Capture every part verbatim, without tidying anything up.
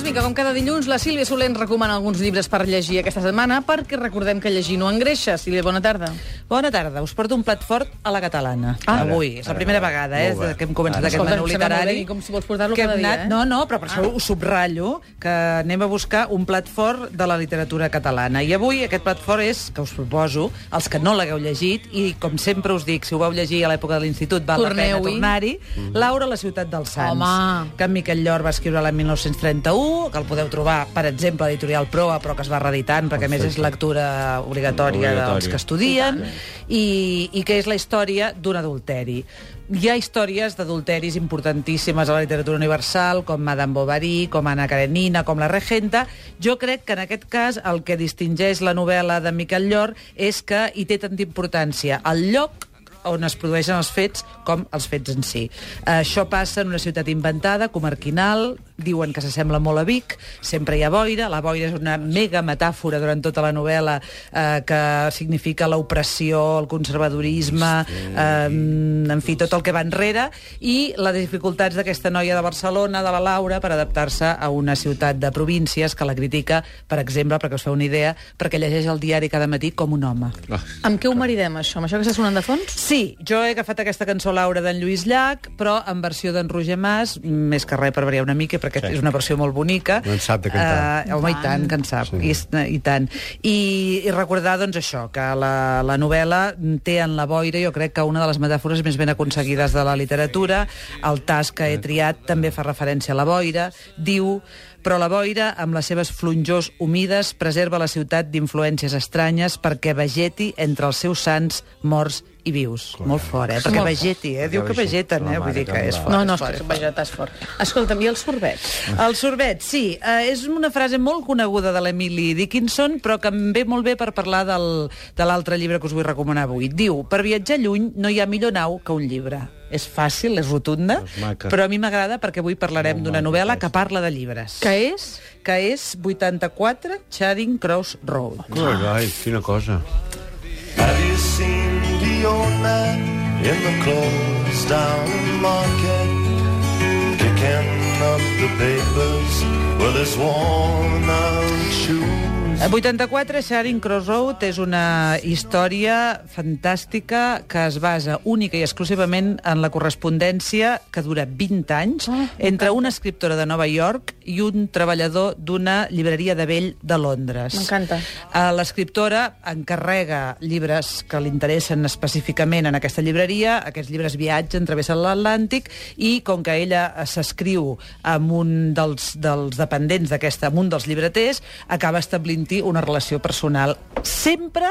Doncs vinga, com cada dilluns, la Sílvia Soler ens recomana alguns llibres per llegir aquesta setmana, perquè recordem que llegir no engreixa. Sílvia, bona tarda. Bona tarda. Us porto un plat fort a la catalana. Ah, avui. És la primera vegada eh, que hem començat aquest menú literari. Com si vols portar-lo cada dia, anat... eh? No, no, però per això ho subratllo, que anem a buscar un plat fort de la literatura catalana. I avui aquest plat fort és, que us proposo, els que no l'hagueu llegit, i com sempre us dic, si ho vau llegir a l'època de l'institut, val la pena tornar-hi, Laura, la ciutat dels Sants, Home. que en Miquel Llor va escriure l'any mil nou-cents trenta-u, que el podeu trobar, per exemple, a l'editorial Proa, però que es va reeditant, perquè a més és lectura obligatòria dels que estudien, i, i que és la història d'un adulteri. Hi ha històries d'adulteris importantíssimes a la literatura universal, com Madame Bovary, com Anna Karenina, com La Regenta. Jo crec que en aquest cas el que distingeix la novel·la de Miquel Llor és que hi té tanta importància el lloc on es produeixen els fets com els fets en si. Això passa en una ciutat inventada, comarquinal, diuen que s'assembla molt a Vic, sempre hi ha boira, la boira és una mega metàfora durant tota la novel·la eh, que significa l'opressió, el conservadorisme, eh, en fi, tot el que va enrere, i les dificultats d'aquesta noia de Barcelona, de la Laura, per adaptar-se a una ciutat de províncies que la critica, per exemple, perquè us feu una idea, perquè llegeix el diari cada matí com un home. Ah. Amb què ho maridem, això? Amb això que està sonant de fons? Sí, jo he agafat aquesta cançó Laura d'en Lluís Llach, però en versió d'en Roger Mas, més que res per variar una mica, perquè sí. és una versió molt bonica. No en sap de cantar. Uh, home, i tant, que en sap, sí. I, i tant. I, I recordar, doncs, això, que la, la novel·la té en la boira, jo crec que una de les metàfores més ben aconseguides de la literatura. El tas que he triat també fa referència a la boira. Diu... Però la boira, amb les seves flonjors humides, preserva la ciutat d'influències estranyes perquè vegeti entre els seus sants morts i vius. Clar. Molt fort, eh? Perquè molt vegeti, eh? Diu que vegeten, eh? Vull dir que és fort. No, no, és fort, és que vegetar és fort. Escolta'm, i el sorbet? El sorbet, sí. Eh, és una frase molt coneguda de l'Emily Dickinson, però que em ve molt bé per parlar del, de l'altre llibre que us vull recomanar avui. Diu, per viatjar lluny no hi ha millor nau que un llibre. És fàcil, és rotunda, però a mi m'agrada perquè avui parlarem d'una novel·la que parla de llibres. Que és? Que és vuitanta-quatre Charing Cross Road. Ai, ai, quina cosa. Have you seen the old man in the closed down market picking up the papers with his worn out shoes? vuitanta-quatre Charing Cross Road és una història fantàstica que es basa única i exclusivament en la correspondència que dura vint anys oh, entre una escriptora de Nova York i un treballador d'una llibreria de vell de Londres. M'encanta. L'escriptora encarrega llibres que li interessen específicament en aquesta llibreria, aquests llibres viatgen, travessen l'Atlàntic, i com que ella s'escriu amb un dels, dels dependents d'aquesta, amb un dels llibreters, acaba establint una relació personal sempre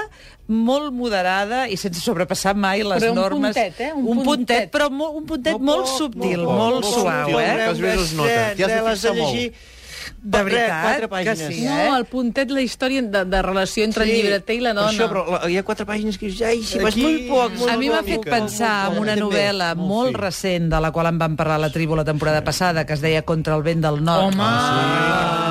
molt moderada i sense sobrepassar mai les però un normes. Puntet, eh? Un, un puntet, puntet, però molt, un puntet molt, molt molt subtil, molt, molt, molt, molt suau, molt, eh? Que els veus es nota. T'hi has de fixar molt. De veritat que sí, eh? No, el puntet, la història de, de relació entre sí, el llibreter i la dona. Això, però la, hi ha quatre pàgines que dius, ai, si vas molt poc. A mi m'ha fet pensar en una novel·la molt recent, de la qual en vam parlar a la tribu la temporada passada, que es deia Contra el vent del nord. Home!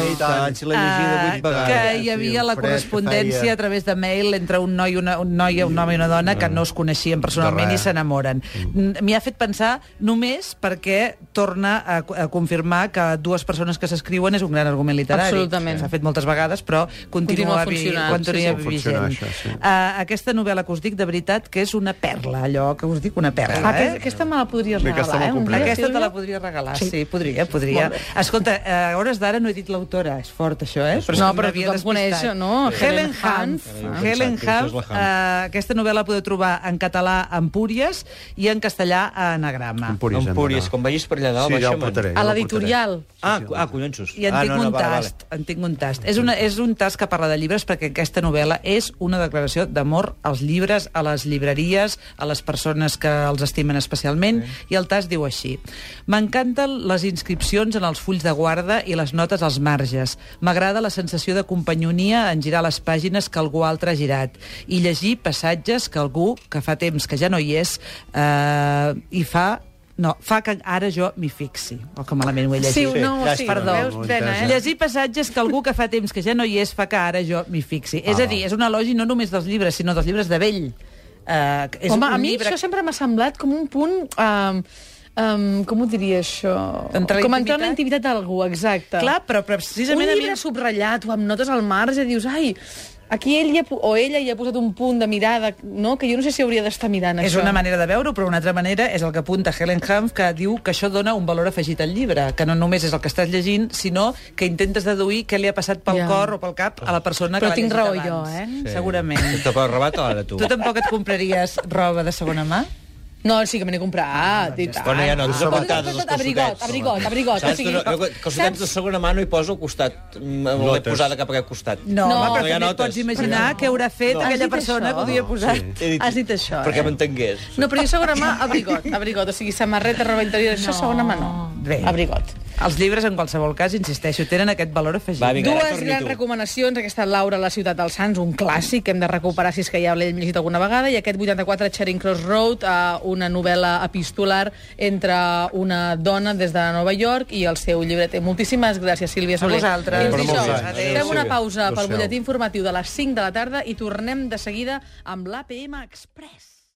I tant, si l'he llegida vuit vegades. Que hi havia la correspondència a través de mail entre un noi, una, un noi, un home i una dona que no es coneixien personalment i s'enamoren. M'hi ha fet pensar només perquè torna a, a confirmar que dues persones que s'escriuen és un gran argument literari. Absolutament. S'ha fet moltes vegades, però continua, continua funcionant. continua Sí, sí. vigent. Això, sí. Uh, aquesta novel·la que us dic, de veritat, que és una perla, allò que us dic, una perla. Ah, eh? aquesta, aquesta me la podries Bé, aquesta regalar, eh? me'l Un dia, Aquesta te Sílvia? la podria regalar, sí, Sí. sí podria, podria. Escolta, a hores d'ara no he dit l'autora, és fort això, eh? No, però tothom coneix, no? Helen Hanff. Helen Hanff, Hanff. uh, aquesta novel·la la podeu trobar en català a Empúries i en castellà a Anagrama. Empúries, Empúries, quan vagis per allà dalt, Sí, ja ho baixa'm. portaré. A l'editorial. Ah, ah, collonsos. I en ah, tinc no, no, un vale, tast, en tinc un tast. És, una, és un tast que parla de llibres perquè aquesta novel·la és una declaració d'amor als llibres, a les llibreries, a les persones que els estimen especialment, sí. I el tast diu així: m'encanten les inscripcions en els fulls de guarda i les notes als marges. M'agrada la sensació de companyonia en girar les pàgines que algú altre ha girat i llegir passatges que algú, que fa temps que ja no hi és, eh, hi fa... No, fa que ara jo m'hi fixi. O que malament ho he llegit. Sí, no, sí, Perdó. veus, plena, eh? Llegir passatges que algú que fa temps que ja no hi és fa que ara jo m'hi fixi. Ah, és a dir, és un elogi no només dels llibres, sinó dels llibres de vell. Uh, és Home, un a mi llibre... això sempre m'ha semblat com un punt... Uh, Um, com ho diria, això? Entrar com a entrar en la intimitat d'algú, exacte. Clar, però precisament... Un a mi- llibre subratllat o amb notes al marge, dius, ai, aquí ell hi ha, o ella hi ha posat un punt de mirada, no? Que jo no sé si hauria d'estar mirant És això. una manera de veure-ho, però una altra manera és el que apunta Helen Humph, que diu que això dona un valor afegit al llibre, que no només és el que estàs llegint, sinó que intentes deduir què li ha passat pel Ja. cor o pel cap a la persona Però que l'ha tinc llegit raó abans. jo, eh? Sí. Segurament. Te pots robar ara, tu. Tu tampoc et compraries roba de segona mà? No, sí que me n'he comprat, i tant. Bueno, ja no, tu Tot, aguantades tot, els tot, abrigot, calçotets. abrigot, abrigot. Saps? O sigui, Jo, calçotets de segona mà no hi poso al costat. L'he Lotes. posada cap a aquest costat. No, No, home, però no hi ha també et notes. pots imaginar què haurà fet No. aquella Has dit persona això? que ho havia posat. He dit- Has dit això, Perquè eh? m'entengués. No, però jo segona mà, abrigot, abrigot. O sigui, samarreta, roba interior, això segona mà no. Bé. Abrigot. Els llibres, en qualsevol cas, insisteixo, tenen aquest valor afegit. Va, vinga, ara Dues torni grans tu. recomanacions. Aquesta Laura, la ciutat dels Sants, un clàssic que hem de recuperar si és que ja l'hem llegit alguna vegada, i aquest vuitanta-quatre Charing Cross Road, eh, una novel·la epistolar entre una dona des de Nova York i el seu llibreter. Moltíssimes gràcies, Sílvia Soler. vosaltres. Fins Per molts dijous. anys. Fem una Sílvia. pausa pel Adéu-siau. butlletí informatiu de les cinc de la tarda i tornem de seguida amb l'A P M Express.